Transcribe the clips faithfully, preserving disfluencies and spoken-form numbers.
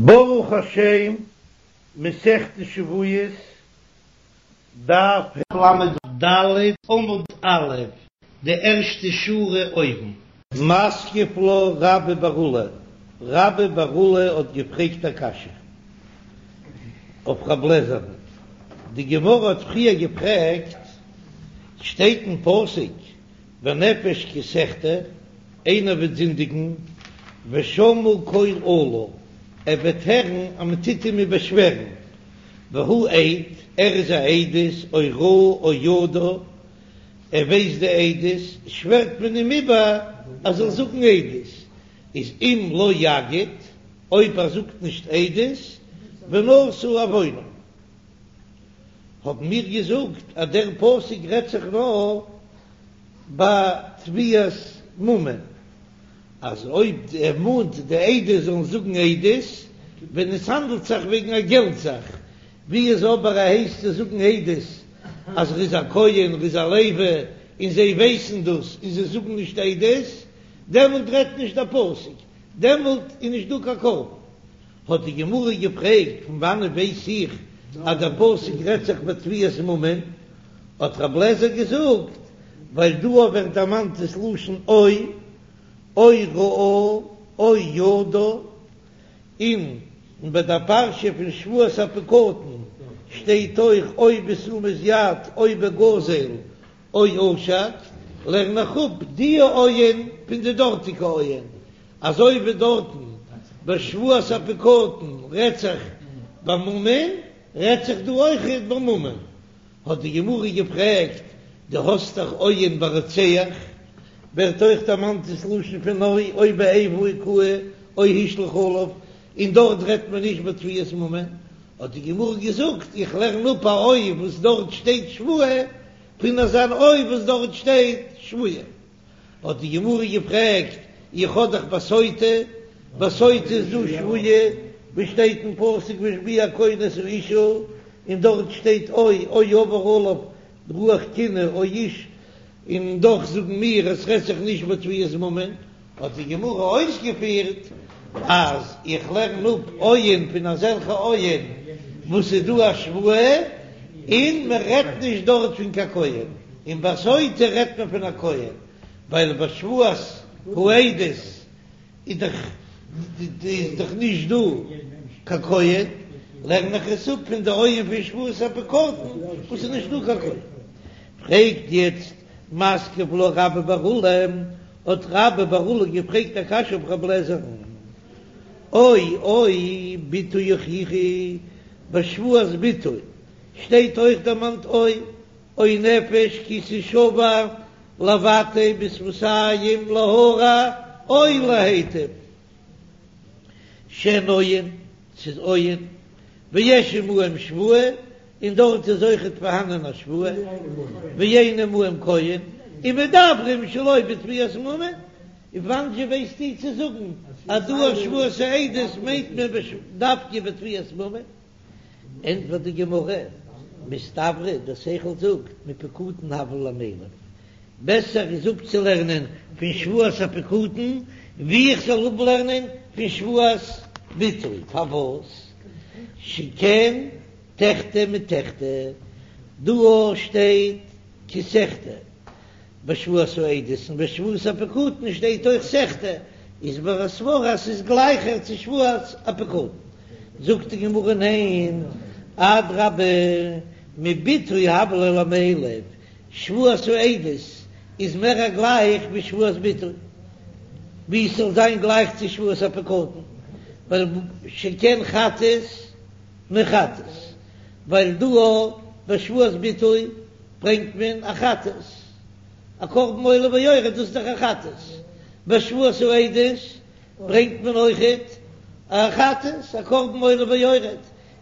ברוך השם, מסכת שבועות, דף ל"ד עמוד א', די ערשטע שורה אויבן. מתקיף לה רבה בר עולא, רבה בר עולא האט געפרעגט א קשיא אויף רב לעזער'ן, די גמרא האט פריער געפרעגט, שטייט אין פסוק ונפש כי תחטא, איינער וועט זינדיגן, ושמעו קול אלה, ער וועט הערן אז מען טוט אים איבערשווערן, והוא עד, ער איז א עדות, או ראה או ידע, ער ווייסט די עדות, שווערט מען אים איבער ער זאל זאגן עדות, איז אם לא יגיד, אויב ער זאגט נישט עדות, ונשא עוונו. האבן מיר געזאגט אז דער פסוק רעדט זיך נאר ביי תביעת ממון, אז אויב ער מאנט די עדות זאלן זאגן עדות ווען עס האנדלט זיך וועגן א געלט זאך, ווי איז אבער ער הייסט זיי זאגן עדות אז ער איז א כהן, ער איז א לוי, און זיי ווייסן דאס און זיי זאגן נישט עדות, דעמאלט רעדט נישט דער פסוק, דעמאלט איז נישט דא קיין קרבן. האט די גמרא געפרעגט, פון וואנעט ווייס איך אז דער פסוק רעדט זיך בתביעת ממון? האט רב לעזער געזאגט, ווייל דא ווערט דערמאנט דאס לשון או, או ראה, או ידע, און ביי דער פרשה פון שבועת הפקדון שטייט אויך או בתשומת יד, או בגזל, או עשק, לערן איך אפ די או'ען פון די דארטיגע או'ען, אזוי ווי דארטן ביי שבועת הפקדון רעדט זיך בממון, רעדט זיך דא אויכעט בממון. האט די גמרא געפרעגט, דו האסט דאך או'ען ביי רוצח, ווערט אויך דערמאנט דאס לשון פון או, או באיבה הכהו, או השליך עליו, און דארט רעדט מען נישט בתביעת ממון, האט די גמרא געזאגט, איך לערן אפ א או וואס דארט שטייט שבועה, פון אזאן או וואס דארט שטייט שבועה. האט די גמרא געפרעגט, איך האב דאך בסוטה, בסוטה איז דא שבועה, ווי שטייט אין פסוק והשביע הכהן את האשה, און דארט שטייט או, או עבר עליו רוח קנאה או איש, און דאך זאגן מיר עס רעדט זיך נישט בתביעת ממון, האט די גמרא אויסגעפירט אז איך לערן אפ או'ען פון אזעלכע או'ען וואס איז דא א שבועה, און מען רעדט נישט דארט פון קיין כהן, און ביי סוטה רעדט מען פון א כהן, ווייל ביי שבועת העדות איז דאך איז דאך נישט דא קיין כהן, לערן איך עס אפ פון די או'ען פון שבועת הפקדון וואס איז נישט דא קיין כהן. פרעגט יעצט מתקיף לה רבה בר עולא, האט רבה בר עולא געפרעגט א קשיא אויף רב לעזער'ן, או או בתו יוכיחו, ביי שבועת בתו שטייט אויך דערמאנט או, או נפש כי תשבע לבטא בשפתים להרע או להיטיב, שהן או'ען, ס'איז או'ען, ויש עמהם שבועה, און דארט איז אויכעט פארהאנען א שבועה, ואין עמהם כהן, ומדברים שלא בתביעת ממון, און וואנעט ווייסטו צו זאגן אז דא א שבועת העדות מיינט מען דווקא בתביעת ממון? ענטפערט די גמרא, מסתברא דער שכל זאגט מפקדון הוה ליה למילף, בעסער איז אפצולערנען פון שבועת הפקדון ווי איך זאל אפלערנען פון שבועת בתו, פארוואס? שכן תחטא מתחטא, דא שטייט כי תחטא בשבועת העדות און בשבועת הפקדון שטייט אויך תחטא, איז מיר א סברא אז ס'איז גלייכער צו שבועת הפקדון. זאגט די גמרא ניין, אדרבה מבתו הוה ליה למילף, שבועת העדות איז מער א גלייך ווי שבועת בתו, ווי עס זאל זיין גלייך צו שבועת הפקדון, ווייל שכן חטאת מחטאת, ווייל דא ביי שבועת בתו ברענגט מען א חטאת, א קרבן עולה ויורד, דאס איז דאך א חטאת, ביי שבועת העדות ברענגט מען אויכעט א חטאת, א קרבן עולה ויורד,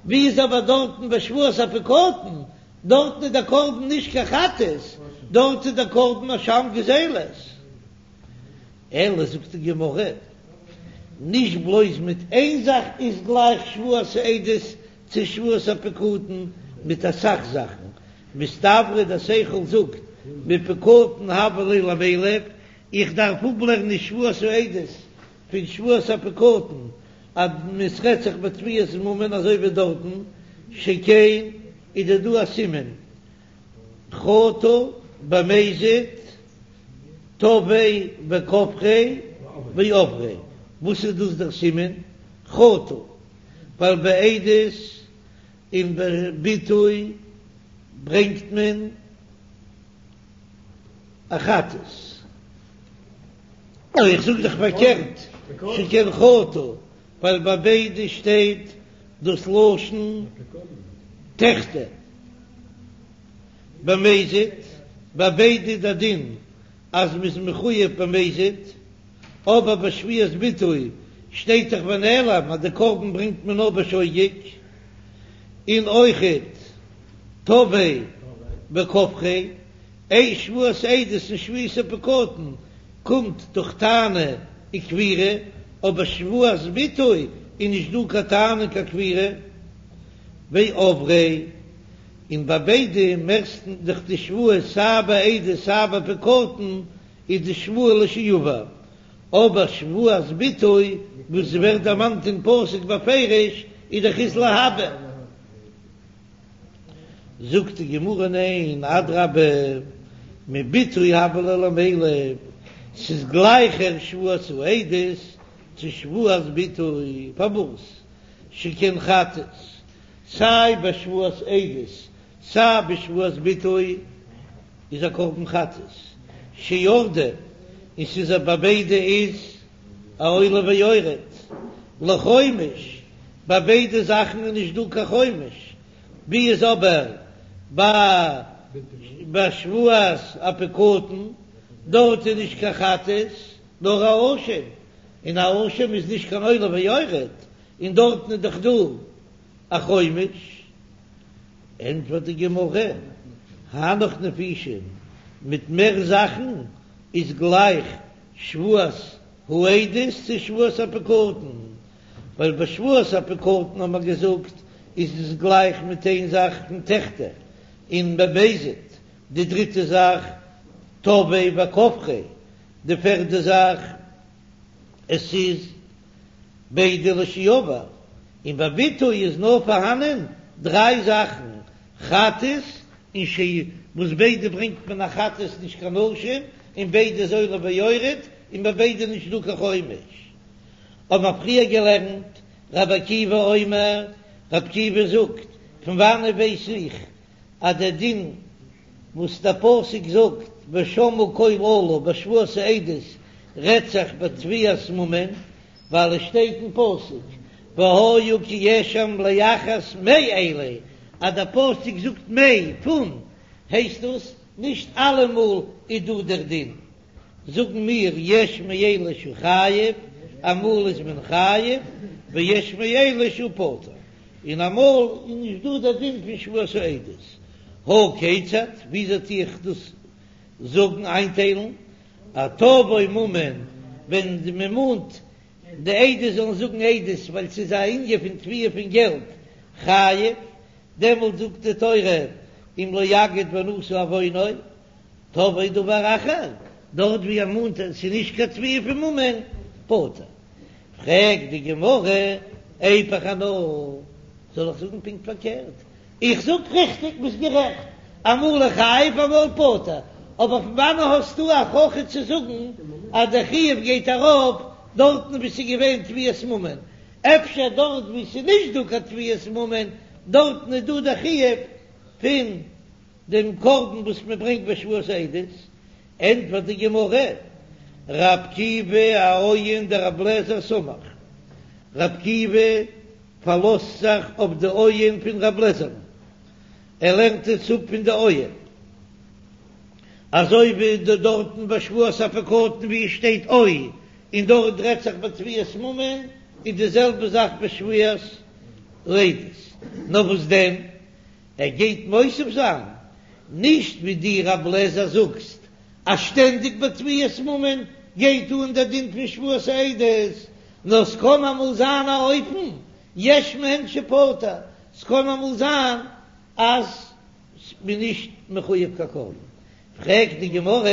ווי איז אבער דארטן ביי שבועת הפקדון דארטן איז דער קרבן נישט קיין חטאת, דארט איז דער קרבן אשם גזילות. אלא זאגט די גמרא, נישט בלויז מיט איין זאך איז גלייך שבועת העדות צו שבועת הפקדון, מיט אסאך זאכן. מסתברא דער שכל זאגט מפקדון הוה ליה למילף, איך דארף אפלערנען שבועת העדות פון שבועת הפקדון, אז ס'רעדט זיך בתביעת ממון אזוי ווי דארטן, שכן איז דא דא א סימן חטא במזיד תבעיה וכפריה ועבריה, וואס איז דאס דער סימן חטא? ווייל ביי עדות און ביי ביטוי ברענגט מען א חטאת. איך זאג דאך פארקערט, שכן חטא, ווייל ביי ביידע שטייט דאס לשון תחטא. במזיד, ביי ביידע איז דער דין אז מ'איז מחויב במזיד, אבער ביי שבועת ביטוי שטייט דאך ונעלם אז די קרבן ברענגט מען נאר בשוגג, און אויכעט תבעיה וכפריה, איי שבועת עדות און שבועת הפקדון קומט דורך טענה און כפירה, אבער שבועת ביטוי איז נישט דא קיין טענה און קיין כפירה, ועבריה, און ביי ביידע מערסטנס דאך די שבועה סיי ביי עדות סיי ביי פקדון איז די שבועה לשעבר, אבער שבועת ביטוי וואס ווערט דערמאנט אין פסוק בפירוש איז דאך איז להבא. זאגט די גמרא ניין, אדרבה, מביטוי הוה ליה למילף, ס'איז גלייכער שבועת העדות צו שבועת ביטוי, פארוואס? שכן חטאת, סיי ביי שבועת עדות סיי ביי שבועת ביטוי איז א קרבן חטאת שירדה, און ס'איז א ביי ביידע איז א עולה ויורד לחומש, ביי ביידע זאכן איז נישט דא קיין חומש, ווי איז אבער ביי ביי שבועת הפקדון דארט איז נישט קיין חטאת נאר א אשם, און א אשם איז נישט קיין עולה ויורד, און דארטן איז דאך דא א חומש. ענטפערט די גמרא, הנך נפישין, מיט מער זאכן איז גלייך שבועת העדות צו שבועת הפקדון, ווייל ביי שבועת הפקדון האט מען געזאגט איז עס גלייך מיט איין זאך פון תחטא און במזיד, די דריטע זאך תבעיה וכפריה, די פערדע זאך עס איז ביידע לשעבר, און ביי ביטוי איז נאר פארהאנען דריי זאכן, חטאת און ש וואס ביידע ברענגט מען א חטאת נישט קיין אשם, און ביידע איז עולה ויורד, און ביי ביידע נישט דא קיין חומש. האבן מיר פריער געלערנט, רבי עקיבא אומר, רבי עקיבא זאגט, פון וואנעט ווייס איך אז דער דין וואס דער פסוק זאגט ושמעו קול אלה בשבועת העדות רעדט זיך בתביעת ממון, ווייל עס שטייט אין פסוק והיה כי אשם לאחת מאלה, אז דער פסוק זאגט מ פון הייסט דאס נישט אלעמאל איז דא דער דין, זאגן מיר יש מאלה שהוא חייב, אמאל איז מען חייב, ויש מאלה שהוא פטור. און אמאל איז נישט דא דער דין פון שבועת העדות, הא כיצד, וויאזוי טו איך דאס זאגן איינטיילן, אז תבעו ממון, ווען מען מאנט די עדות זאלן זאגן עדות ווייל ס'איז א ענין פון תביעה פון געלט, חייב, דעמאלט זאגט די תורה אם לא יגיד ונשא עוונו, תבעו דבר אחר, דארט ווי ער מאנט אז ס'איז נישט קיין תביעה פון ממון, פטור. פרעגט די גמרא, איפוך אנא, זאל איך זאגן פונקט פארקערט? איך זאג ריכטיג, ביסט גערעכט, אמאל איז חייב אמאל פטור, אבער פון וואנען האסטו א הוכחה צו זאגן אז דער חיוב גייט ארויף דארטן וואו ס'איז געווען תביעת ממון? אפשר דארט וואו ס'איז נישט דא קיין תביעת ממון, דארטן איז דא דער חיוב פון דעם קרבן וואס מען ברענגט ביי שבועת העדות? ענטפערט די גמרא, ר' עקיבא אאויין דר' אליעזר סמך, ר' עקיבא פארלאזט זיך אויף די אויען פון ר' אליעזר'ן, ער לערנט עס אפ פון די אויען, אזוי ווי דארטן ביי שבועת הפקדון ווי עס שטייט או, און דארט רעדט זיך בתביעת ממון, איז די זעלבע זאך ביי שבועת העדות, נאר וואס דען? ער גייט מוסיף זיין, נישט ווי דו ר' אליעזר זאגסט אז שטענדיג ביי תביעת ממון גייט אן דער דין פון שבועת העדות, נאר ס'קען אמאל זיין א אופן יש מהן שפטור, ס'קען אמאל זיין אז מ'איז נישט מחויב קיין קרבן. פרעגט די גמרא,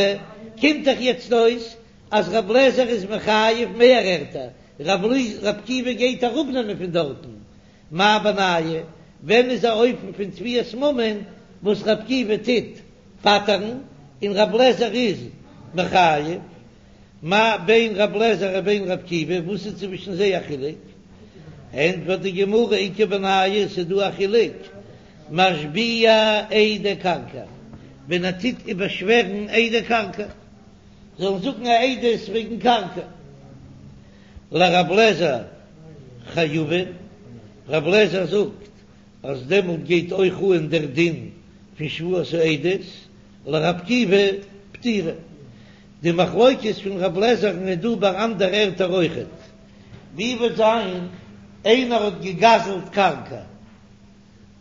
קומט דאך יעצט אויס אז ר' אליעזר איז מחייב מער ערטער, רבי עקיבא גייט אראפנעמען פון דארטן, מאי בינייהו, ווען איז א אופן פון תביעת ממון וואס רבי עקיבא טוט פטר'ן און רבי אליעזר איז מחייב? מה בין רבי אליעזר ובין רבי עקיבא, וואס איז צווישן זיי א חילוק? ענטפערט די גמרא, איכא בינייהו, ס'איז דא א חילוק, משביע עדי קרקע, ווען ער טוט איבערשווערן עדי קרקע, זאלן זאגן א עדות וועגן קרקע, לרבי אליעזר חייבין, רבי אליעזר זאגט אז דעמאלט גייט אויך אן דער דין פון שבועת העדות, לרבי עקיבא פטירי. די מחלוקת פון רבי אליעזר'ן איז דא ביי אנדערע ערטער אויכעט. ווי וועט זיין איינער האט געגזלט קרקע?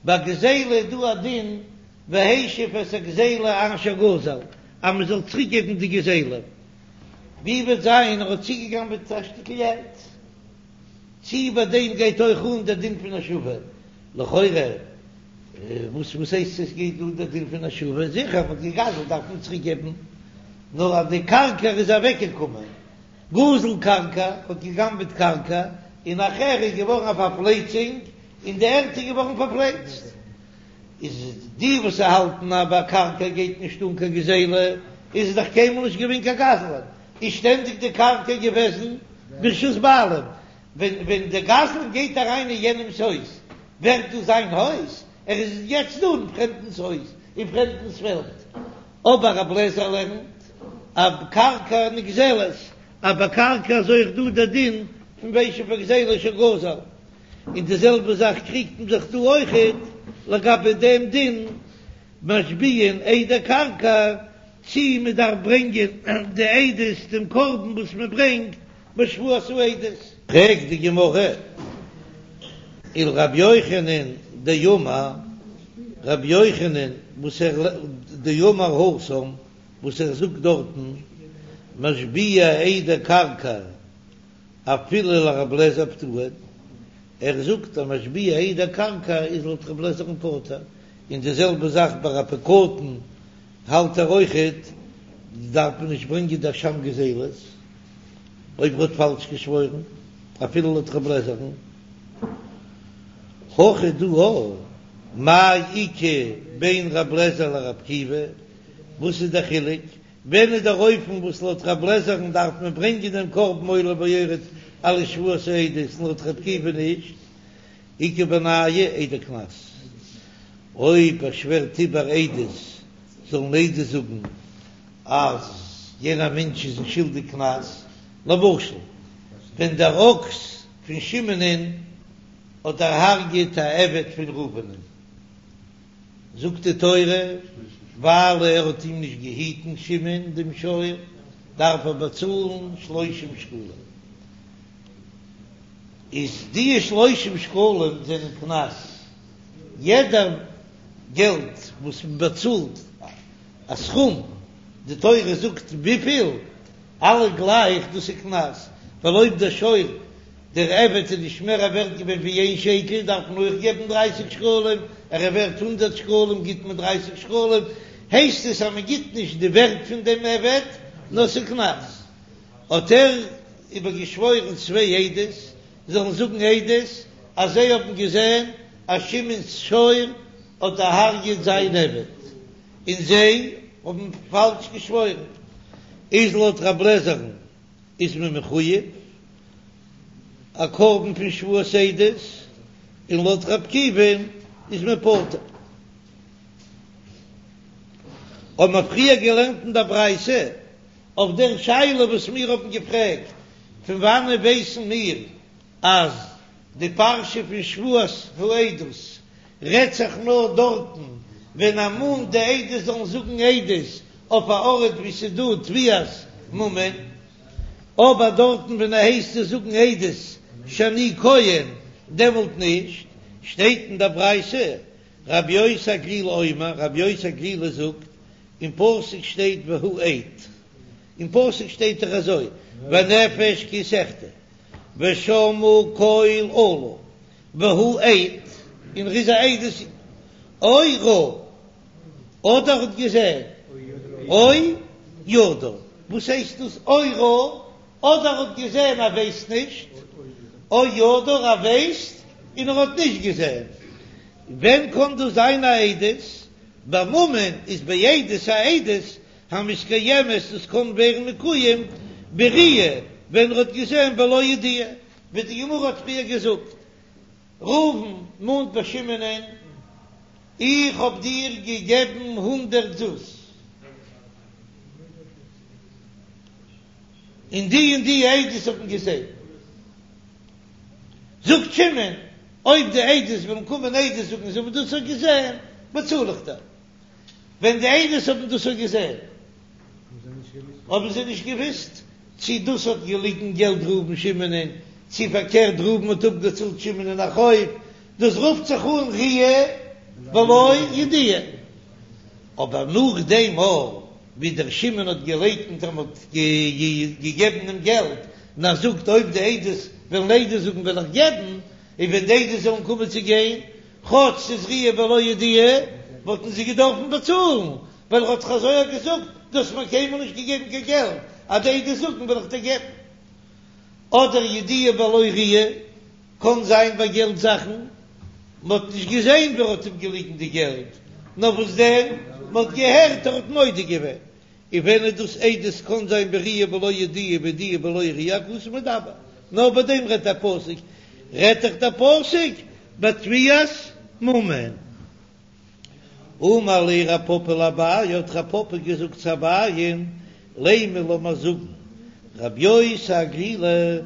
ביי גזילה איז דא א דין והשיב את הגזילה אשר גזל אז מען זאל צוריק געבן די גזילה. ווי וועט זיין ער האט צוגעגנבעט א שטיקל ערד? צי ביי דעם גייט אויך אן דער דין פון השבה? לכאורה וואס וואס הייסט עס גייט אן דער דין פון השבה? זיכער מען האט געגזלט דארף מען צוריק געבן, נאר אז די קרקע איז אוועק געקומען, גזל קרקע האט געגנבעט קרקע, און נאכער איז געווארן א פארפלייצונג און די ערד איז געווארן פארפלייצט, איז די וואס האלטן אז ביי קרקע גייט נישט אן קיין גזילה, איז עס דאך קיינמאל נישט געווען קיין גזלן, איז שטענדיג די קרקע געוועזן ברשות בעלים, ווען ווען דער גזלן גייט אריין אין יענעמס הויז, ווערט דאס זיין הויז? ער איז יעצט דא אין פרעמדנס הויז, אין פרעמדנס פעלד. אבער רבי אליעזר לערנט אז קרקע נגזלת, אז ביי קרקע איז אויך דא דער דין פון והשיב הגזילה אשר גזל, און די זעלבע זאך קריגט מען זיך דא אויכעט לגבי דעם דין משביעין עדי קרקע, צי מען דארף ברענגען די עדות דעם קרבן וואס מען ברענגט בשבועת העדות. פרעגט די גמרא, ולרבי יוחנן דאמר, רבי יוחנן וואס ער דאמר התם וואס ער זאגט דארטן משביע עדי קרקע אפילו לרבי אליעזר פטורין, ער זאגט אז משביע עדי קרקע איז לויט רבי אליעזר'ן פטור, און די זעלבע זאך ביי א פקדון האלט ער אויכעט דארף מען נישט ברענגען די אשם גזילות. אויב ער האט פאלש געשוואוירן, אפילו לויט רב לעזער'ן, הכא דא מאי איכא בין רב לעזער לרב עקיבא, וואס איז דער חילוק? ווען איז דער אופן וואס לויט רב לעזער'ן דארף מען ברענגען דעם קרבן עולה ויורד אלס שבועת העדות און לויט רב עקיבא נישט? איכא בינייהו עדי קנס, אויב ער שווערט איבער עדות זאלן עדות זאגן אז יענער מענטש איז שולדיג קנס, למשל ווען דער אקס פון שמעונ'ען האט דערהארגעט א עבד פון ראובנ'ען, זאגט די תורה, ווייל ער האט אים נישט געהיטן שמעון דעם שור, דארף ער באצאלן שלושים שקלים, איז די שלושים שקלים זענען קנס, יעדער געלט וואס מען באצאלט א סכום, די תורה זאגט וויפיל, אלע גלייך, דאס איז קנס, ווייל אויב דער שור, דער עבד איז נישט מער א ווערט געווען ווי איין שקל, דארף מען אויך געבן דרייסיג שקלים, ער איז ווערט הונדערט שקלים גיט מען דרייסיג שקלים, הייסט עס אז מען גיט נישט די ווערט פון דעם עבד, נאר ס'איז קנס. האט ער איבערגעשוואוירן צוויי עדות זאלן זאגן עדות אז זיי האבן געזען אז שמעון'ס שור האט דערהרגעט זיין עבד. און זיי האבן פאלש געשוואוירן, איז לויט רב לעזער'ן איז מען מחויב א קרבן פון שבועת עדות, און לויט רב עקיבא'ן איז מען פטור. האבן מיר פריער געלערנט אין דער ברייתא אויף דער שאלה וואס מיר האבן געפרעגט, פון וואנען ווייסן מיר אז די פרשה פון שבועת העדות רעדט זיך נאר דארטן ווען ער מאנט די עדות זאלן זאגן עדות אויף א ארט ווי ס'איז דא תביעת ממון, אבער דארטן ווען ער הייסט זיי זאגן עדות שאני כהן דעמאלט נישט, שטייט אין דער ברייתא רבי יוסי הגלילי אומר, רבי יוסי הגלילי זאגט, אין פסוק שטייט והוא עד, אין פסוק שטייט דאך אזוי והנפש כי תחטא ושמעו קול אלה והוא עד, און ער איז א עדות או ראה, אדער האט געזען, או ידע, וואס הייסט דאס או ראה? אדער ער האט געזען ער ווייסט נישט, או ידע ער ווייסט און ער האט נישט געזען. ווען קען דאס זיין א עדות? בממון איז בעדות א עדות המתקיימת דאס קען ווערן מקוים בראיה ווען ער האט געזען בלא ידיעה, ווי די גמרא האט פריער געזאגט, ראובן מאנט ביי שמעונ'ען, איך האב דיר געגעבן הונדערט זוז, און די און די עדות האבן געזען. זאגט שמעון, אויב די עדות וועלן קומען עדות זאגן זיי האבן דאס אויך געזען, באצאל איך דיר. ווען די עדות האבן דאס אויך געזען, האבן זיי נישט געוואוסט צי דאס האט געליגן געלט ראובן שמעונ'ען, צי פארקערט ראובן האט אפגעצאלט שמעונ'ען א חוב, דאס רופט זיך אן ראיה בלא ידיעה. אבער נאכדעם אויך ווי דער שמעון האט געלייקנט אז מען האט געגעבן דעם געלט, און ער זאגט אויב די עדות וועלן עדות זאגן וועל איך געבן, און ווען די עדות זאלן קומען צו גיין, כאטש ס'איז ראיה בלא ידיעה, וואלטן זיי געדארפן באצאלן, ווייל ער האט דאך אזוי געזאגט, דו האסט מיר קיינמאל נישט געגעבן קיין געלט, אז די עדות זאגן וועל איך דיר געבן. אדער ידיעה בלא ראיה, קען זיין ביי געלט זאכן, מען האט נישט געזען ווער האט אים געליגן די געלט, נאר וואס דען, מען האט געהערט ער האט מודה געווען, און ווען איז דאס עדות קאן זיין בראיה בלא ידיעה בידיעה בלא ראיה הכתוב מדבר, נאר ביי דעם רעדט דער פסוק, רעדט דאך דער פסוק בתביעת ממון. אמר ליה רב פפא לאביי, האט רב פפא געזאגט צו אביי'ן, לימא לאמיר זאגן רבי יוסי הגלילי,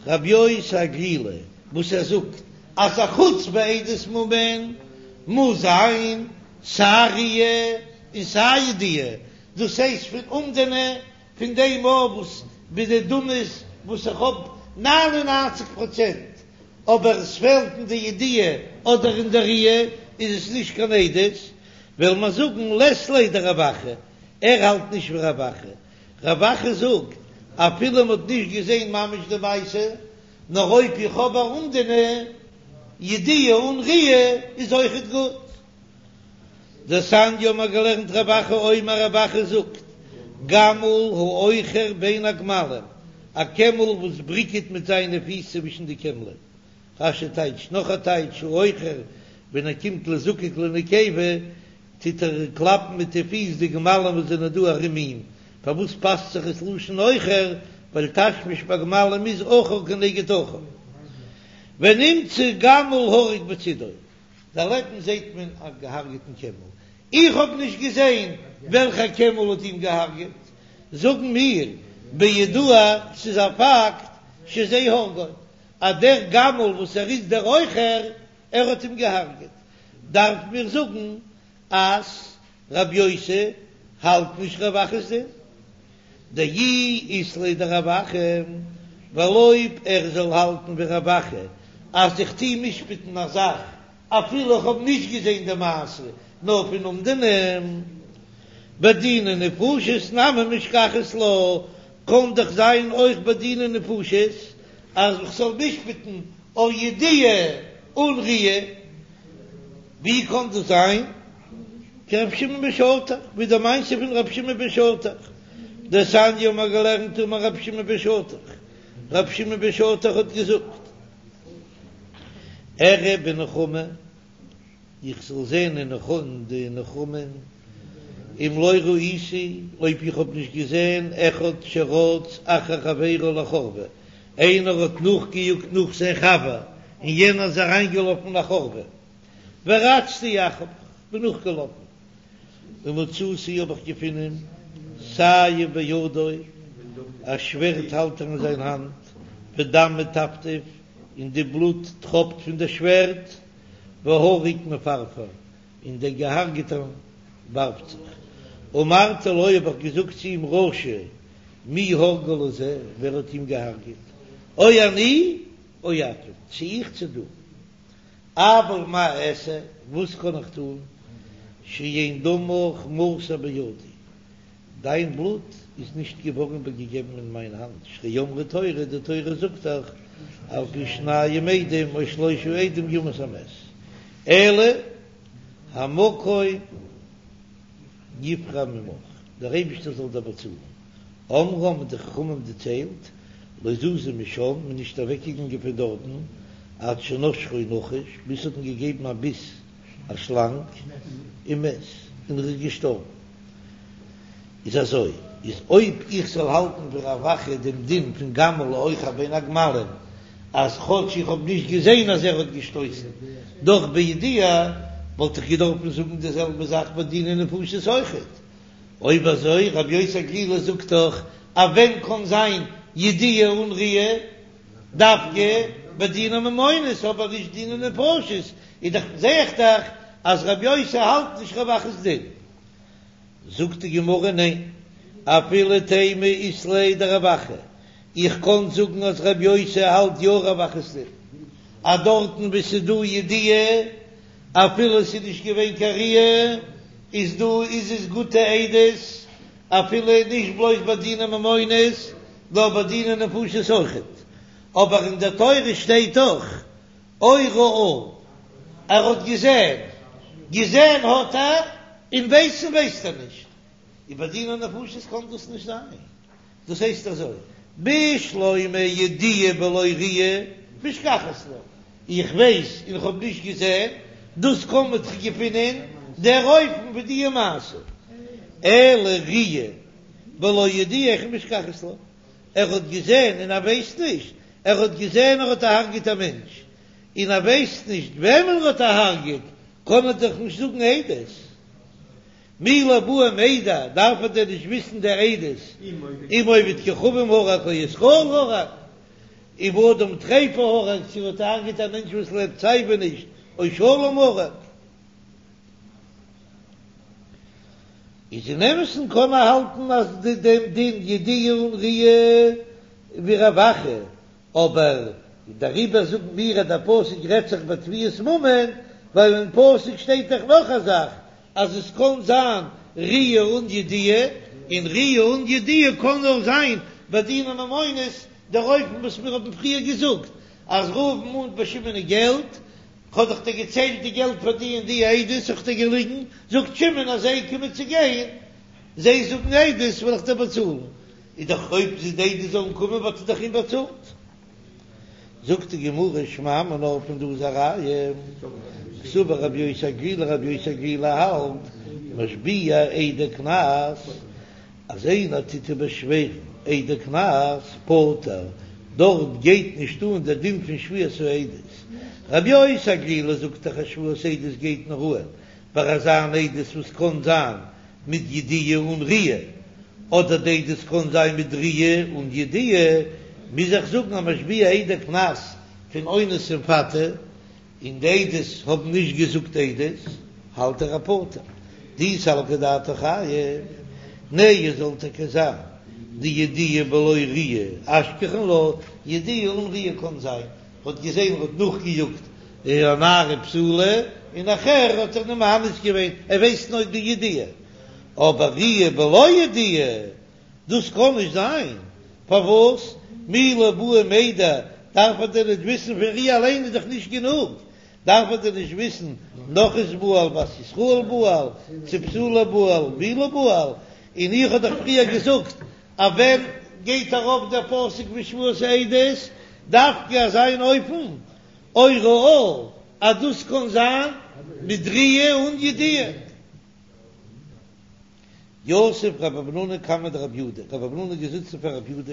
רבי יוסי הגלילי וואס ער זאגט אז א חוץ בעדות ממון מוז זיין סיי ראיה און סיי ידיעה, דאס הייסט פון אומדנא פון דעם אויף וואס בדדמות וואס איך האב נײַן און נײַנציק פראצענט אבער עס פעלט אין די ידיעה אדער אין די ראיה איז עס נישט קיין עדות, וועל מיר זאגן לית ליה דרב אחא, ער האלט נישט ווי רב אחא, רב אחא זאגט אפילו מען האט נישט געזען ממש די מעשה, נאר אויב איך האב א אומדנא ידיעה אן ראיה איז אויכעט גוט. דתניא האבן מיר געלערנט רב אחא אומר רב אחא זאגט, גמל האוחר בין הגמלים, א קעמל וואס בריקעט מיט זיינע פיס צווישן די קעמלען. רש"י טייטשט נאך א טייטש האוחר, ווען ער קומט לזקק לנקבה טוט ער קלאפן מיט די פיס די גמלים וואס זענען דא ארום אים, פארוואס פאסט זיך עס לשון אוחר, ווייל תשמיש ביי גמלים איז אחור כנגד אחור. ונמצא גמל הרוג בצידו. דערלעבן זעהט מען א געהארגעטן קעמל, איך האב נישט געזעהן וועלכע קעמל האט אים געהארגעט, זאגן מיר בידוע ס'איז א פאקט שזה הרגו, אז דער גמל וואס ער איז דער עוכר ער האט אים געהארגעט, דארף מיר זאגן אז רב יוסי האלט נישט רב אחא'ס דין, דאי אית ליה דרב אחא, ווייל אויב ער זאל האלטן ווי רב אחא אז איך טוה משפט'ן א זאך אפילו איך האב נישט געזען די מעשה נאר פון אומדנא, בדיני נפשות נמי משכחת לה, קען דאך זיין אויך בדיני נפשות אז איך זאל משפט'ן אויף ידיעה אן ראיה. ווי קען דאס זיין? כרבי שמעון בן שטח, ווי די מעשה פון רבי שמעון בן שטח, דתניא האבן מיר געלערנט אמר רבי שמעון בן שטח, רבי שמעון בן שטח האט געזאגט, אראה בנחמה, איך זאל זען אין די נחמה, אם לא ראיתי, אויב איך האב נישט געזען, אחד שרץ אחר חברו לחורבה, איינער האט נאכגעיאגט נאך זיין חבר און יענער איז אריינגעלאפן אין א חורבה, ורצתי אחריו, כ'בין נאכגעלאפן, ומצאתי האב איך געפונען סייף בידו, א שווערד האלט ער אין זיין האנט, ודם מטפטף, און די בלוט טראפט פון די שווערד, והרוג מפרפר, און דער געהארגעטער ווארפט זיך. אמרתי לו האב איך געזאגט צו אים רשע, מי הרגו לזה, ווער האט אים געהארגעט, או אני או אתה, צו איך צו דו. אבל מה אעשה, וואס קען איך טון, שאין דמך מסור בידי, דיין בלוט איז נישט געווארן איבערגעגעבן אין מיין האנט, שהרי אמרה תורה, די תורה זאגט דאך, על פי שניים עדים או שלושה עדים יומת המת, אלא המקום יפרע ממך, דער אייבישטער זאל דיר באצאלן, אמרו האבן די חכמים דערציילט, לא זזו משם, מ'איז נישט אוועקגעגאנגען פון דארטן עד שנשכו נחש, ביז ס'האט אים געגעבן א ביס א שלאנג, ומת, און ער איז געשטארבן. איז אזוי, איז אויב איך זאל האלטן ווי רב אחא דעם דין פון גמל האוחר בין הגמלים, אז כאטש איך האב נישט געזען אז ער האט געשטויסן, דאך בידיעה, וואלט איך געדארפן זאגן די זעלבע זאך ביי דיני נפשות אויכעט. אויב אזוי, רבי יוסי הגלילי זאגט דאך אז ווען קען זיין ידיעה אן ראיה? דווקא ביי דיני ממונות אבער נישט דיני נפשות, איז דאך זעה איך דאך אז רבי יוסי האלט נישט רב אחא'ס דין. זאגט די גמרא ניין, אפילו תימא אית ליה דרב אחא, איך קען זאגן אז רבי יוסי האלט יא רב אחא'ס דין, אז דארטן וואו ס'איז דא ידיעה אפילו ס'איז נישט געווען קיין ראיה איז דא איז עס גוטע עדות, אפילו נישט בלויז ביי דיני ממונות נאר ביי דיני נפשות אויכעט, אבער אין דער תורה שטייט דאך או ראה, ער האט געזען, געזען האט ער, און ווייסן ווייסט ער נישט, און ביי דיני נפשות קען דאס נישט זיין, דאס הייסט אזוי, בשלמא ידיעה בלא ראיה משכחת לה, איך ווייס און איך האב נישט געזען, דאס קען מען דאך געפינען דער אופן ווי די מעשה, אלא ראיה בלא ידיעה היכי משכחת לה, ער האט געזען און ער ווייסט נישט, ער האט געזען ער האט אהרגעט א מענטש, און ער ווייסט נישט וועמען ער האט אהרגעט, קען ער דאך נישט זאגן עדות. מי לא בעי מידע, דארף ער דען נישט וויסן די עדות, אם עובד כוכבים הרג או ישראל הרג, אם אדם טריפה הרג, צו ער האט אהרגעט א מענטש וואס לעבט סייווי נישט, או שלם הרג. איז אין אמת'ן קען מען האלטן אז די דעם דין ידיעה אן ראיה ווי רב אחא, אבער דעריבער זאגן מיר אז דער פסוק רעדט זיך ביי תביעת ממון, ווייל אין פסוק שטייט דאך נאך א זאך אז עס קען זיין ראיה אן ידיעה, און ראיה אן ידיעה קען נאר זיין ביי דיני ממונות, דער אופן וואס מיר האבן פריער געזאגט אז ראובן מאנט ביי שמעון געלט, כ'האב דאך דיר געציילט די געלט פאר די און די עדות, איך דיר געליגן, זאגט שמעון אז זיי קומען צו גיין, זיי זאגן עדות וועל איך דיר באצאלן, איז דאך אויב די עדות זאלן קומען וואלט ער דאך אים באצאלט. זאגט די גמרא שמע מינה פון דא איז א ראיה, קסבר רבי יוסי הגלילי רבי יוסי הגלילי האלט משביע עדי קנס, אז איינער טוט באשווערן עדי קנס פטור, דארט גייט נישט אן דער דין פון שבועת העדות. רבי יוסי הגלילי זאגט דאך אז שבועת העדות גייט נאר אן ביי אזא אן עדות וואס קען זיין מיט ידיעה אן ראיה, אדער די עדות קען זיין מיט ראיה אן ידיעה, מוז איך זאגן אז משביע עדי קנס פון אונס און מפתה. און די עדות האבן נישט געזאגט עדות, האלט ער אז פטור. דאי סלקא דעתך חייב, נהי זאל טאקע זיין דידיעה בלא ראיה אשכחן לה, ידיעה אן ראיה קען זיין, האט געזען ער האט נאכגעיאגט א נערה בתולה און נאכער האט ער איר מאנס געווען, ער ווייסט נאר די ידיעה, אבער ראיה בלא ידיעה דאס קען נישט זיין, פארוואס? מי לא בעי מידע, דארף ער דען נישט וויסן פון ראיה אליין איז דאך נישט גענוג, דארף ער דען נישט וויסן נכרית בעל בת ישראל בעל, צו בתולה בעל בעולה בעל, און איך האב דאך פריער געזאגט אז ווען גייט ארויף דער פסוק פון שבועת העדות דווקא אזא אן אופן או ראה אז דאס קען זיין מיט ראיה אן ידיעה. יתיב רב המנונא קמיה דרב יהודה, רב המנונא איז געזיצן פאר רב יהודה,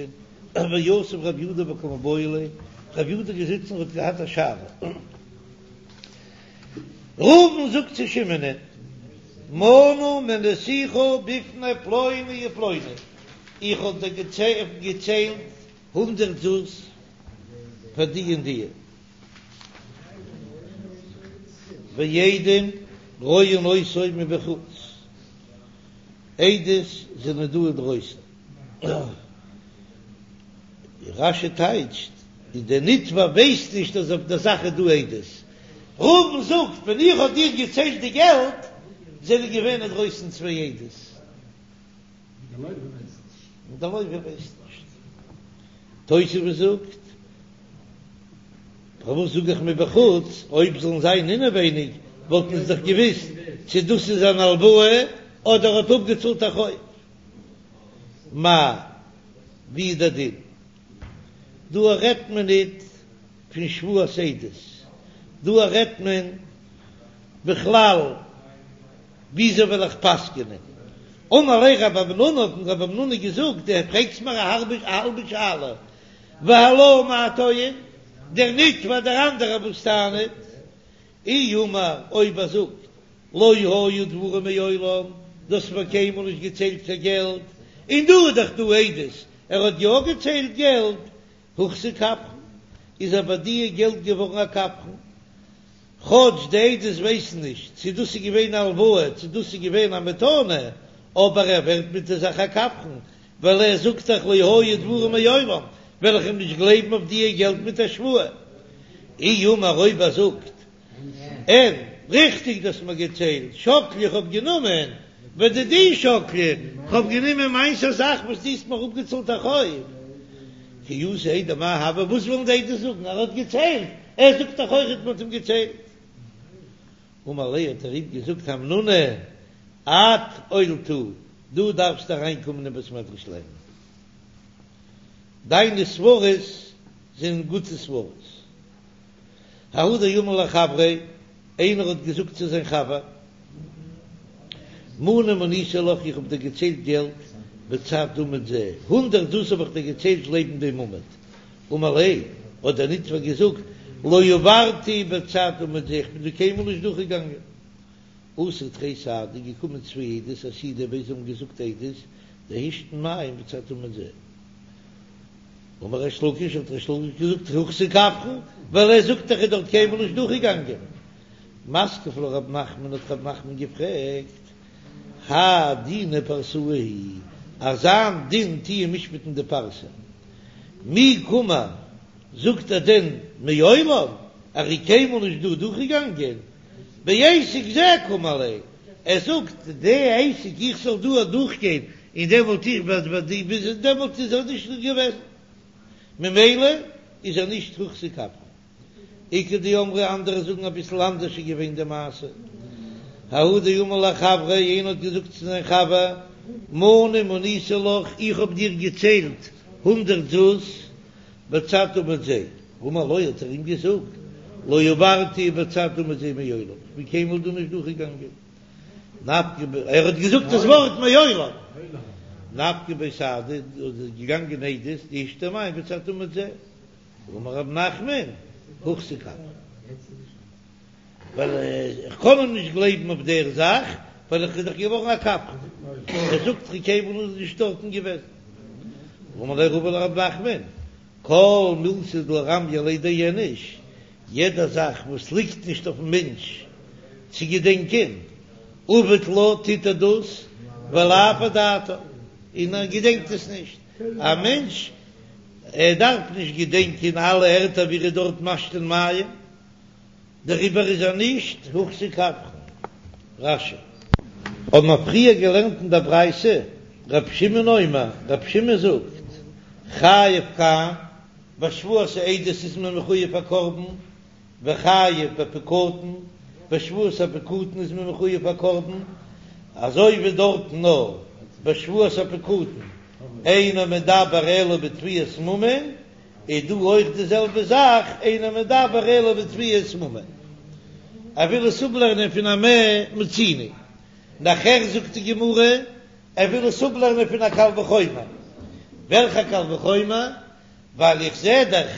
ויתיב רב יהודה וקא מיבעיא ליה, רב יהודה איז געזיצן און האט געהאט א שאלה. ראובן זאגט צו שמעונ'ען, מנה מניתיך בפני פלוני ופלוני, איך האב דיר געציילט הונדערט זוז פאר די און די. ועדים רואין אותו מבחוץ, עדות זענען דא אינדרויסן. רש"י טייטשט, אז דער נתבע ווייסט נישט אז אויף דער זאך איז דא עדות. ראובן זאגט, ווען איך האב דיר געציילט די געלט, זענען געווען אינדרויסן צוויי עדות. און דער לוה ווייסט נישט. תוספות זאגט, פארוואס זאג איך מבחוץ, אויב זאלן זיין אינעווייניג וואלטן זיי דאך געוויסט צו דאס איז אן הלוואה אדער האט אפגעצאלט א חוב. מאי, ווי איז דער דין? דא רעדט מען ניט פון שבועת עדות, דא רעדט מען בכלל וויאזוי וועל איך פסק'נען. אמר ליה רב המנונא, האט אים רב המנונא געזאגט, דו פרעגסט מיר א האלבע שאלה, והלה מאי טוען, דער נתבע דער אנדערער וואס טענה'ט, אי אמר אויב ער זאגט לא היו דברים מעולם, דו האסט מיר קיינמאל נישט געציילט קיין געלט, און דא איז דאך דא עדות ער האט יא געציילט געלט, הוחזק כפרן, איז אבער דיע געלט געווארן א כפרן, כאטש די עדות ווייסן נישט צו דאס איז געווען א הלוואה צו דאס איז געווען א מתנה, אבער ער ווערט מיט די זאך א כפרן, ווייל ער זאגט דאך לא היו דברים מעולם, וועל איך אים נישט גלייבן אויף דיע געלט מיט א שבועה. אי אמר אויב ער זאגט אין, ריכטיג דו האסט מיר געציילט, שקלי איך האב גענומען, ודידי שקלי, כ'האב גענומען מיינס א זאך וואס דו האסט מיר אפגעצאלט א חוב. כי אתו עדי מאי הוי, וואס ווילן די עדות זאגן? ער האט געציילט, ער זאגט דאך אויכעט מען האט אים געציילט. אמר ליה האט ער אים געזאגט המנונא את עולתא, דו דארפסט אריינקומען אין בית מדרש לערנען, דיינע סברות זענען גוטע סברות. ההוא דאמר לחבריה, איינער האט געזאגט צו זיין חבר, מנה מניתי לך, איך האב דיר געציילט געלט בצד עמוד זה, הונדערט זוז האב איך דיר געציילט לעבן דעם עמוד. אמר ליה, האט דער נתבע געזאגט, לא עברתי בצד עמוד זה, איך בין דא קיינמאל נישט דורכגעגאנגען. אתו תרי סהדי, געקומען צוויי עדות, אסהידו בי, זיי האבן געזאגט עדות, דהשתין מים בצד עמוד זה. אמר ריש לקיש, האט ריש לקיש געזאגט, הוחזק כפרן, ווייל ער זאגט דאך ער איז דארט קיינמאל נישט דורכגעגאנגען. מתקיף לה רב נחמן, האט רב נחמן געפרעגט, האי דינא פרסאי הוא, אזא דין טוען משפט'ן די פרסה, מי קאמר, זאגט ער דען מעולם, ער איז קיינמאל נישט דא דורכגעגאנגען, בעסק זה קאמר ליה, ער זאגט די עסק איך זאל דא אדורכגיין און דעמאלט איך וועל וועל די ביז דעמאלט איז ער נישט געוועזן ממילא איז ער נישט הוחזק כפרן. איכא דאמרי אנדערע זאגן אביסל אנדערש איז געווען די מעשה ההוא דאמר לחבריה איינער האט געזאגט צו זיין חבר מנה מניתי לך איך האב דיר געציילט הונדערט זוז בצד עמוד זה אמר לו האט ער אים געזאגט לא עברתי בצד עמוד זה מעולם איך בין קיינמאל דא נישט דורכגעגאנגען נפקו בי ער האט געזאגט דאס ווארט מעולם נפקו בי סהדי איז געגאנגען עדות דהשתי מים בצד עמוד זה אמר רב נחמן הוחזק כפרן ווייל איך קען אים נישט גלייבן אויף דער זאך ווייל איך איז דאך געווארן א כפרן ער זאגט איך קיינמאל נישט דארטן געוועזן אמר ליה רבא לרב נחמן כל מילתא דלא רמיא עליה דאיניש, יעדע זאך וואס ליגט נישט אויפן מענטש צו געדענקען, עביד לה טוט ער דאס ולאו אדעתיה, און ער געדענקט עס נישט, א מענטש ער דארף נישט געדענקען אלע ערטער ווי ער איז דארט משתין מים, דעריבער איז ער נישט הוחזק כפרן. רש"י. האבן מיר פריער געלערנט אין דער ברייתא, ר' שמעון אומר, ר' שמעון זאגט, חייב כאן, ביי שבועת העדות איז מען מחויב א קרבן, וחייב בפקדון, ביי שבועת הפקדון איז מען מחויב א קרבן, אזוי ווי דארטן נאר ביי שבועת הפקדון אינו מדבר אלא בתביעת ממון, איז דא אויך די זעלבע זאך, אינו מדבר אלא בתביעת ממון. ער וויל עס אפלערנען פון א מה מצינו. נאכער זאגט די גמרא, ער וויל עס אפלערנען פון א קל וחומר. וועלכע קל וחומר? ווייל איך זע דאך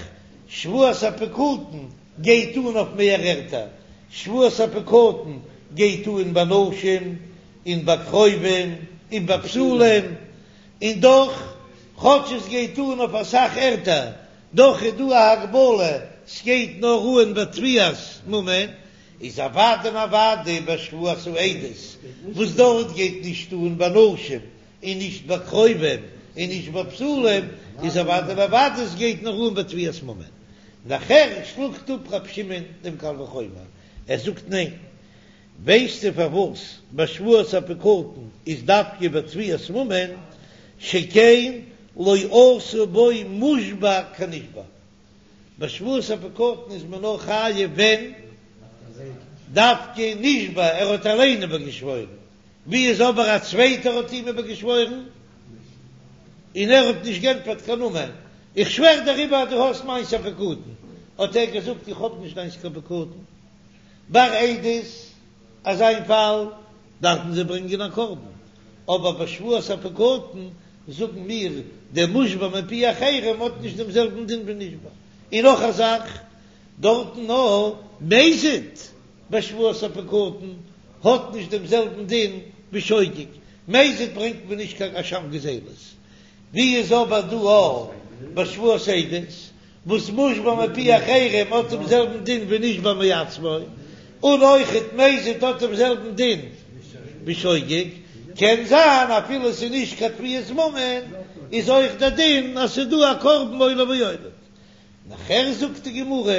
שבועת הפקדון גייט אן אויף מער ערטער, שבועת הפקדון גייט אן ביי נשים און ביי קרובים און ביי בתולים, און דאך, כאטש עס גייט אן אויף אסאך ערטער, דאך איז דא א הגבלה, ס'גייט נאר אן בתביעת ממון, איז אוודאי און אוודאי ביי שבועת העדות, וואס דארט גייט נישט אן ביי נשים, און נישט ביי קרובים, און נישט ביי בתולים, איז אוודאי און אוודאי עס גייט נאר אן בתביעת ממון. נאכער שלאגט אפ רב שמעון דעם קל וחומר, ער זאגט ניין, ווייסטו פארוואס ביי שבועת הפקדון איז דווקא בתביעת ממון, שכן לא עשה בו מושבע כנשבע, ביי שבועת הפקדון איז מען נאר חייב ווען דווקא נשבע, ער האט אליין איבערגעשוואוירן, ווי איז אבער א צווייטער האט אים איבערגעשוואוירן און ער האט נישט גענטפערט קיין אמן, איך שווער דעריבער אז דו האסט מיינס א פקדון, האט ער געזאגט איך האב נישט דיינס קיין פקדון, ביי עדות אזא איין פאל דארפן זיי ברענגען א קרבן, אבער ביי שבועת הפקדון זאגן מיר דער מושבע מפי אחרים האט נישט דעם זעלבן דין ווי נשבע, און נאך א זאך דארטן נאר מזיד ביי שבועת הפקדון האט נישט דעם זעלבן דין ווי שוגג, מזיד ברענגט מען נישט קיין אשם גזילות, ווי איז אבער דא א ביי שבועת עדות וואס מושבע מפי אחרים האט דעם זעלבן דין ווי נשבע מעצמו, און אויכעט מזיד האט דעם זעלבן דין ווי שוגג, קען זיין אפילו ס'איז נישט קיין תביעת ממון איז אויך דער דין אז ס'איז דא א קרבן עולה ויורד. נאכער זאגט די גמרא,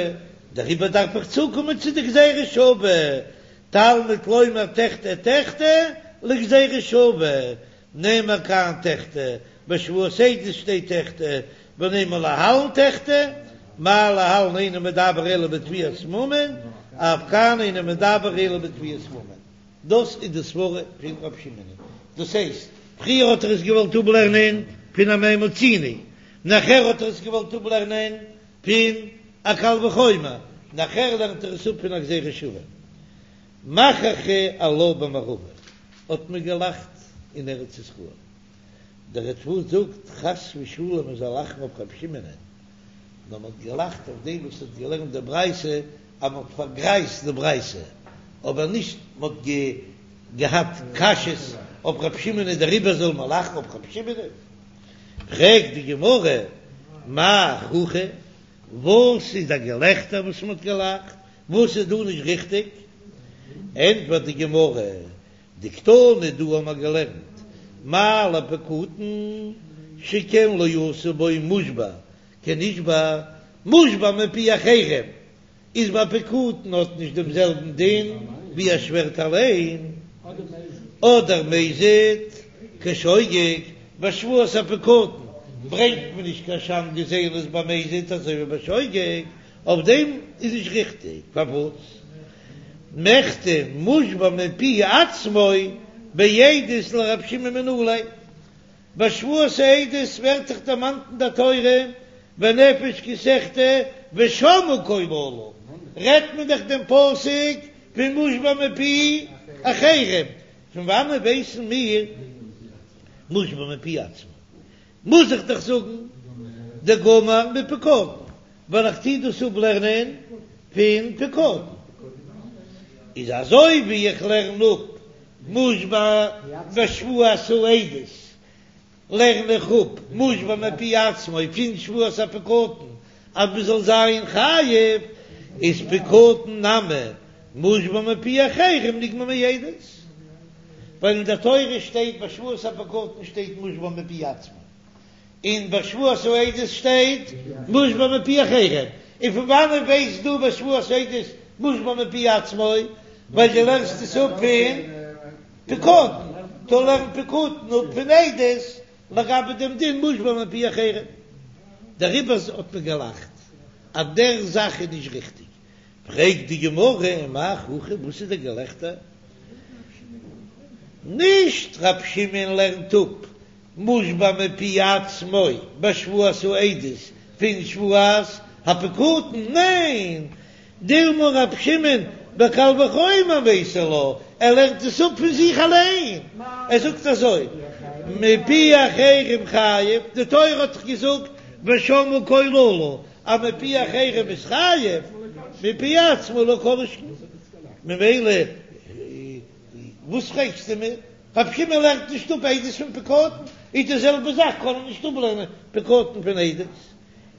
דעריבער דארף איך צוקומען צו די גזירה שווה, תלמוד לומר תחטא תחטא לגזירה שווה, נאמר כאן תחטא, בשבועת עדות שטייט תחטא, ונימא להלן תחטא, מה להלן אינו מדבר אלא בתביעת ממון, אף כאן אינו מדבר אלא בתביעת ממון. דאס איז די סברה פון רב שמעון. דאס הייסט, פריער האט ער עס געוואלט אפלערנען פון א מה מצינו, נאכער האט ער עס געוואלט אפלערנען פון א קל וחומר, נאכער לערנט ער עס אפ פון א גזירה שווה. מחכו עלה במערבא האט מען געלאכט אין ארץ ישראל. דער ריטב"א זאגט חס ושלום מען זאל לאכן אויף רבי שמעונ'ען, נאר מען האט געלאכט אויף דעם וואס האט געלערנט די ברייתא אז מען האט פארגרייזט די ברייתא, אבער נישט מען האט געהאט קשיות אויף רבי שמעונ'ען דעריבער זאל מען לאכן אויף רבי שמעונ'ען. פרעגט די גמרא, מאי חוכא, וואס איז א געלעכטער וואס מען האט געלאכט? וואס איז דא נישט ריכטיג? ענטפערט די גמרא, דקתני דא האבן מיר געלערנט מה לפקדון שכן לא עשו בו מושבע כנשבע, מושבע מפי אחרים איז ביי פקדון האט נישט דעם זעלבן דין ווי ער שווערט אליין, אדער מזיד כשוגג, ביי שבועת הפקדון ברענגט מען נישט קיין אשם גזילות ביי מזיד אזוי ווי ביי שוגג, אויף דעם איז נישט ריכטיג, פארוואס מכדי מושבע מפי עצמו בעדות לרב שמעון מנא ליה? ביי שבועת העדות ווערט דאך דערמאנט אין דער תורה ונפש כי תחטא ושמעו קול אלה, רעדט מען דאך דעם פסוק פון מושבע מפי אחרים, פון וואנען ווייסן מיר מושבע מפי עצמו? מוז איך דאך זאגן דגמר מפקדון, ווייל איך טו דאס אפלערנען פון פקדון. איז אזוי ווי איך לערן אפ מושבע בשבועת העדות, לערן איך אפ מושבע מפי עצמו פון שבועת הפקדון אז מען זאל זיין חייב, איז פקדון נמי מושבע מפי אחרים נגמר מעדות, ווייל אין דער תורה שטייט ביי שבועת הפקדון שטייט מושבע מפי עצמו, און ביי שבועת העדות שטייט מושבע מפי אחרים, און פון וואנען ווייסט דו ביי שבועת העדות מושבע מפי עצמו? ווייל דו לערנסט עס אפ פון פקדון, טא לערן פקדון אפ פון עדות לגבי דעם דין מושבע מפי אחרים, דעריבער האט מען געלאכט אז דער זאך איז נישט ריכטיג. פרעגט די גמרא, מאי חוכא, וואס איז דער געלעכטער? נישט רב שמעון לערנט אפ מושבע מפי עצמו בשבועת העדות פון שבועת הפקדון, ניין, דילמא רב שמעון בקל וחומר מייתי לה, ער לערנט עס אפ פון זיך אליין, ער זאגט אזוי, מפי אחרים חייב, די תורה האט דאך געזאגט ושמעו קול אלה, אז מפי אחרים איז חייב, מפי עצמו לא כל שכן, ממילא וואס פרעגסטו מיר? רב שמעון לערנט נישט אפ עדות פון פקדון, איז די זעלבע זאך קען ער נישט אפלערנען פקדון פון עדות,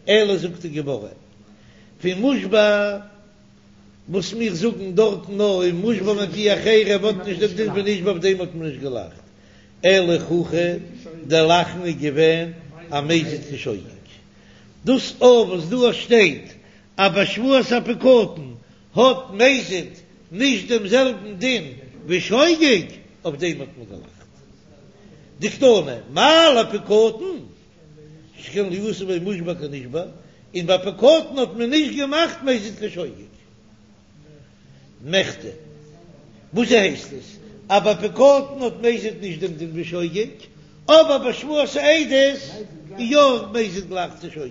אלא זאגט די גמרא פון מושבע וואס מיר זאגן דארטן נאר אין מושבע מפי אחרים האט נישט דעם דין פון נשבע אויף דעם האט מען נישט געלאכט, אלא חוכא דער לאכן איז געווען אמזיד כשוגג. דאס אויך וואס דא שטייט אז ביי שבועת הפקדון האט מזיד נישט דעם זעלבן דין ווי שוגג, אויף דעם האט מען געלאכט. דקתני, מה לפקדון שכן לא עשו בו מושבע כנשבע, און ביי פקדון האט מען נישט געמאכט מזיד כשוגג. מכדי, וואס הייסט עס אז ביי פקדון האט מזיד נישט דעם דין ווי שוגג, אבער ביי שבועת העדות איז יא מזיד גלייך צו שוגג.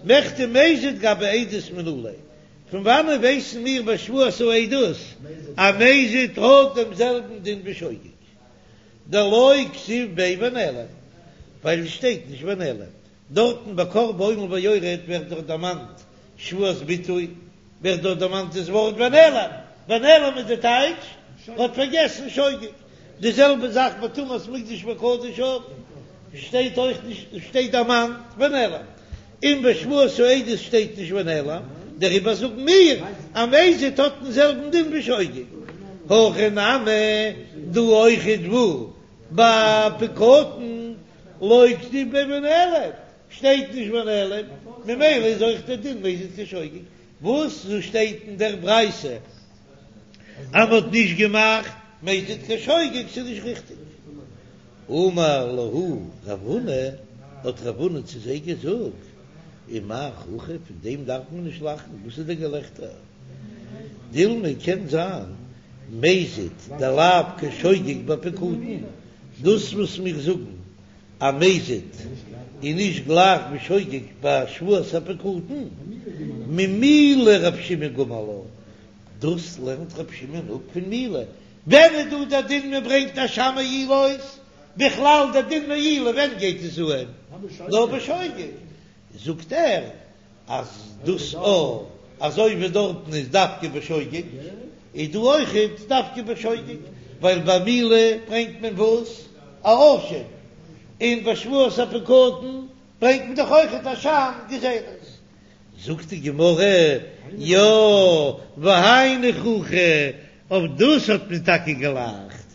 מכדי מזיד גבי עדות מנא ליה, פון וואנען ווייסן מיר ביי שבועת העדות אז מזיד האט דעם זעלבן דין ווי שוגג? דלא כתיב ביה ונעלם, ווייל עס שטייט נישט ונעלם. דארטן ביי קרבן עולה ויורד ווערט דאך דערמאנט שבועת ביטוי, ווערט דארט דערמאנט דאס ווארט ונעלם, ונעלם איז די טייטש האט פארגעסן שוגג, די זעלבע זאך ביי טומאת מקדש וקדשיו שטייט אויך נישט שטייט דערמאנט ונעלם, און ביי שבועת העדות שטייט נישט ונעלם, דעריבער זאגן מיר אז מזיד האט דעם זעלבן דין ווי שוגג, הכא נמי דא אויכעט וואו ביי פקדון לא כתיב ביה ונעלם, שטייט נישט ונעלם, ממילא איז אויך דער דין מזיד כשוגג, וואס דא שטייט אין דער ברייתא אז מ'האט נישט געמאכט מזיד כשוגג ס'איז נישט ריכטיג. אמר להו רב הונא, האט רב הונא צו זיי געזאגט, ומאי חוכא, פון דעם דארף מען נישט לאכן, וואס איז דער געלעכטער? דילמא קען זיין מזיד דלאו כשוגג בפקדון, דאס וואס מיר זאגן אז מזיד איז נישט גלייך ווי שוגג ביי שבועת הפקדון, ממילה רב שמעון גמר לה, דאס לערנט רב שמעון אפ פון מילה, ווען איז דא דער דין מען ברענגט אשם מעילות, בכלל דער דין מעילה ווען גייט עס אהן? נאר בשוגג, זאגט ער אז דאס א אזוי ווי דארטן איז דווקא בשוגג, איז דא אויכעט דווקא בשוגג, ווייל ביי מילה ברענגט מען וואס? א אשם, און ביי שבועת הפקדון ברענגט מען דאך אויכעט אשם גזילות. זאגט די גמרא, יא, והיינו חוכא, אויף דאס האט מען טאקע געלאכט,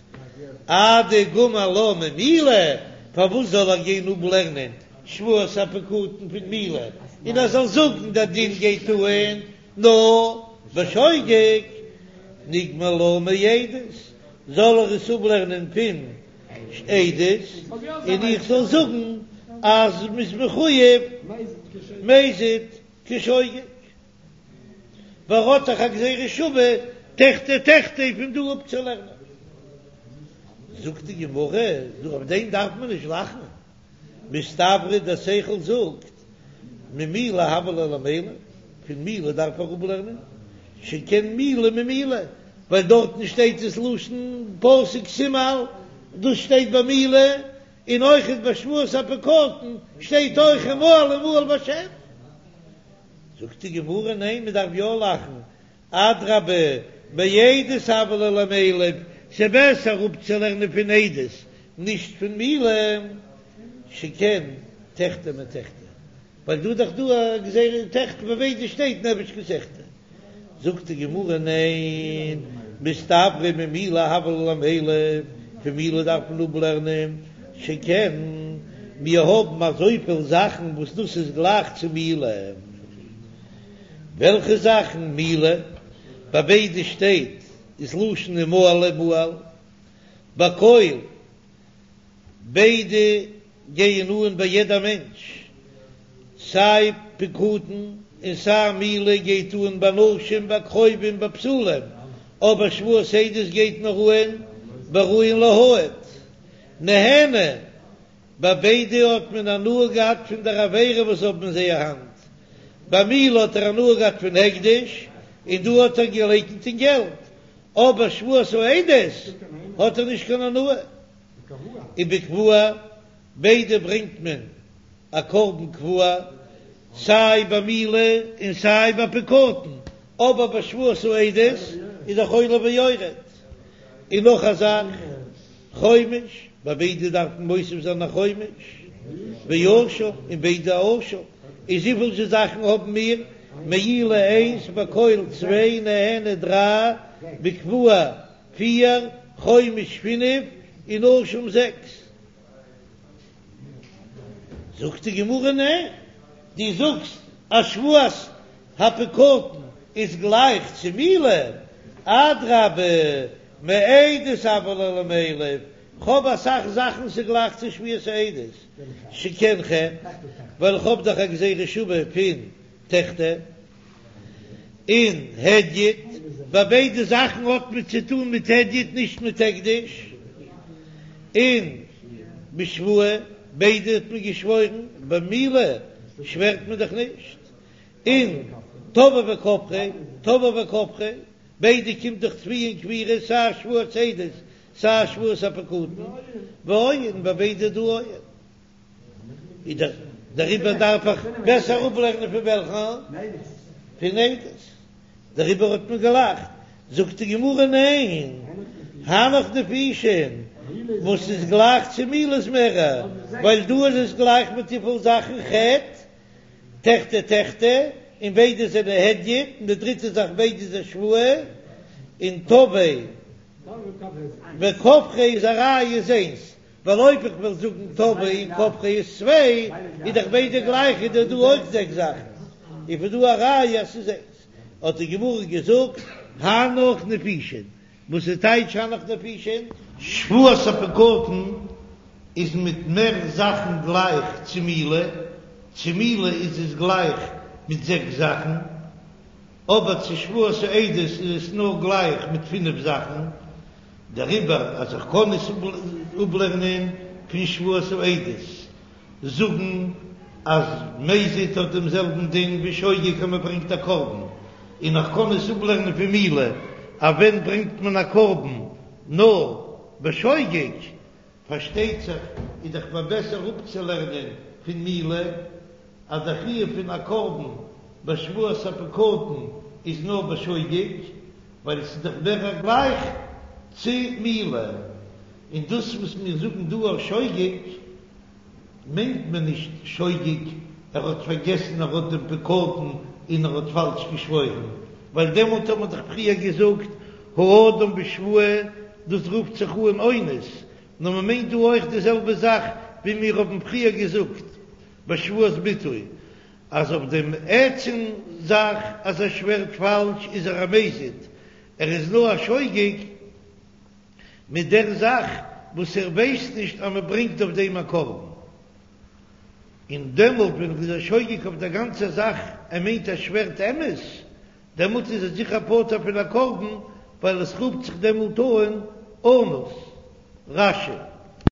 אדגמר לה ממילה, פארוואס זאל ער גיין אפלערנען שבועת הפקדון פון מילה, און ער זאל זאגן דער דין גייט אהן נאר בשוגג, ניגמר לה מעדות, זאל ער עס אפלערנען פון עדות, און איך זאל זאגן אז מ'איז מחויב מזיד כשוגג. ווייל ער האט דאך א גזירה שווה תחטא תחטא פון דא אפצולערנען. זאגט די גמרא, דא אויף דעם דארף מען נישט לאכן, מסתברא דער שכל זאגט ממילה הוה ליה למילף, פון מילה דארף ער אפלערנען, שכן מילה ממילה, ווייל דארטן שטייט עס לשון פסוק תמעל, דאס שטייט ביי מילה, און אויכעט ביי שבועת הפקדון שטייט אויך ומעל ומעל בהשם. זאגט די גמרא ניין מען דארף יא לאכן, אדרבה מעדות הוה ליה למילף, ס'בעסער אפצולערנען פון עדות נישט פון מילה, שכן תחטא מתחטא, ווייל דא איז דאך דא א גזירה תחטא ביי ביידע שטייט נפש כי תחטא, זאגט די גמרא ניין, מסתברא ממילה הוה ליה למילף, פון מילה דארף מען אפלערנען, שכן מיר האבן אזויפיל זאכן וואס דאס איז גלייך צו מילה, וועלכע זאכן? מילה, ביי ביידע שטייט איז לשון ומעל ומעל, בכל ביידע גייען אן ביי יעדע מענטש, סיי פקדון און סיי מילה גייט אן ביי נשים ביי קרובים ביי בתולים, אבער שבועת עדות גייט נאר אן בראויין להעיד. נהנה, ביי ביידע האט מען הנאה געהאט פון דער עבירה וואס האבן אין זייער האנט, ביי מילה האט ער הנאה געהאט פון הקדש, און דא האט ער געלייקנט אין געלט, אבער שבועת העדות האט ער נישט קיין הנאה. ובקבוע, ביידע ברענגט מען א קרבן קבוע, סיי ביי מילה און סיי ביי פקדון, אבער ביי שבועת העדות איז דאך עולה ויורד. און נאך א זאך, חומש, ביי ביידע דארף מען מוסיף זיין א חומש, ואשם, און ביידע אשם, איז וויפיל זשע זאכן האבן מיר? מעילה איינס, בכל צוויי, נהנה דריי, בקבוע פיר, חומש פינף, און אשם זעקס. זאגט די גמרא ניין, דו זאגסט אז שבועת הפקדון איז גלייך צו מילה, אדרבה מעדות הוה ליה למילף, כ'האב אסאך זאכן ס'איז גלייך צו שבועת העדות, שכן חן, ווייל כ'האב דאך א גזירה שווה פון תחטא. און הדיוט, ביי ביידע זאכן האט מען צו טון מיט הדיוט נישט מיט הקדש, און בשבועה, ביידע האט מען געשוואוירן, במילה שווערט מען דאך נישט, און תבעיה וכפריה, תבעיה וכפריה, ביידע קומט דאך תביעה און כפירה, סיי שבועת עדות סיי שבועת הפקדון, ואוהן, ביי ביידע דא אוהן. איז דער דעריבער דארף איך בעסער אפלערנען פון וועלכן? פון עדות. דעריבער האט מען געלאכט. זאגט די גמרא ניין, הנך נפישין, וואס איז גלייך צו מילה איז מערער, ווייל דא איז עס גלייך מיט וויפיל זאכן חטא, תחטא תחטא, און ביידע זענען הדיוט, און די דריטע זאך ביידע איז א שבועה, און תבעיה וכפריה איז א ראיה איז איינס, ווייל אויב איך וועל זאגן תבעיה און כפריה איז צוויי, איז דאך ביידע גלייך איז דאך דא אויך זעקס זאכן, איז פון דא א ראיה אז ס'איז איינס. האט די גמרא געזאגט הנך נפישין, וואס איז טייטש הנך נפישין? שבועת הפקדון איז מיט מער זאכן גלייך צו מילה, צו מילה איז עס גלייך מיט זעקס זאכן, אבער צו שבועת העדות איז עס נאר גלייך מיט פינף זאכן, דעריבער אז איך קען עס אפלערנען פון שבועת העדות, זאגן אז מזיד האט דעם זעלבן דין ווי שוגג אז מען ברענגט א קרבן, און איך קען עס אפלערנען פון מילה אז ווען ברענגט מען א קרבן נאר בשוגג, פארשטייט זיך איז דאך מער בעסער אפצולערנען פון מילה אז דער חיוב פון א קרבן בשבועת הפקדון איז נאר בשוגג, ווייל עס איז דאך מער גלייך צו מילה, און דאס וואס מיר זאגן דא אויף שוגג מיינט מען נישט שוגג ער האט פארגעסן ער האט דעם פקדון און ער האט פאלש געשוואוירן, ווייל דעמאלט האט מען דאך פריער געזאגט האדם בשבועה, דאס רופט זיך אן אונס, נאר מען מיינט דא אויך די זעלבע זאך ווי מיר האבן פריער געזאגט בשבועת ביטוי, אז אויף דעם עצם זאך אז ער שווערט פאלש איז ער א מזיד, ער איז נאר א שוגג מיט דער זאך וואס ער ווייסט נישט אז מען ברענגט אויף דעם א קרבן, און דעמאלט ווען ער איז א שוגג אויף דער גאנצער זאך, ער מיינט ער שווערט אמת, דעמאלט איז ער זיכער פטור פון א קרבן, ווייל עס רופט זיך דעמאלט אן אנוס. רש"י.